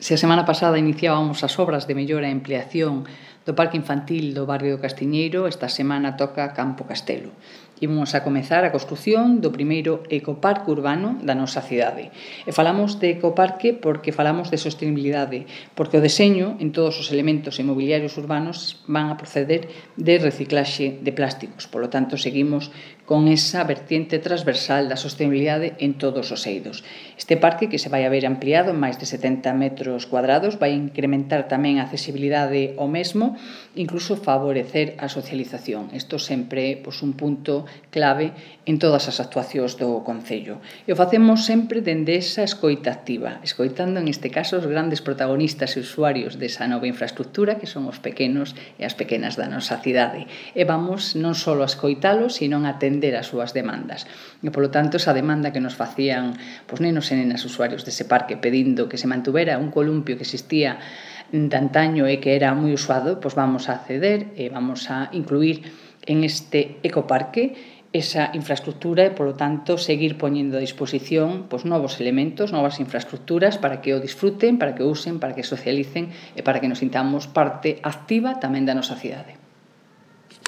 Se a semana pasada iniciábamos as obras de mellora e ampliación do Parque Infantil do barrio do Castiñeiro, esta semana toca Campo Castelo. Imos a comezar a construción do primeiro ecoparque urbano da nosa cidade. E falamos de ecoparque porque falamos de sostenibilidade, porque o deseño en todos os elementos inmobiliarios urbanos van a proceder de reciclaxe de plásticos. Por lo tanto, seguimos con esa vertiente transversal da sostenibilidade en todos os eidos. Este parque, que se vai a ver ampliado en máis de 70 metros cuadrados, vai incrementar tamén a accesibilidade ao mesmo, incluso favorecer a socialización. Isto sempre é un punto clave en todas as actuacións do Concello. E o facemos sempre dende esa escoita activa, escoitando en este caso os grandes protagonistas e usuarios desa nova infraestructura, que son os pequenos e as pequenas da nosa cidade. E vamos non só a escoitalos, sino a atender as súas demandas. E, polo tanto, esa demanda que nos facían nenos e nenas usuarios dese parque pedindo que se mantuvera un columpio que existía de antaño e que era moi usado, vamos a acceder e vamos a incluir en este ecoparque esa infraestructura e, polo tanto, seguir poñendo a disposición novos elementos, novas infraestructuras para que o disfruten, para que o usen, para que socialicen e para que nos sintamos parte activa tamén da nosa cidade.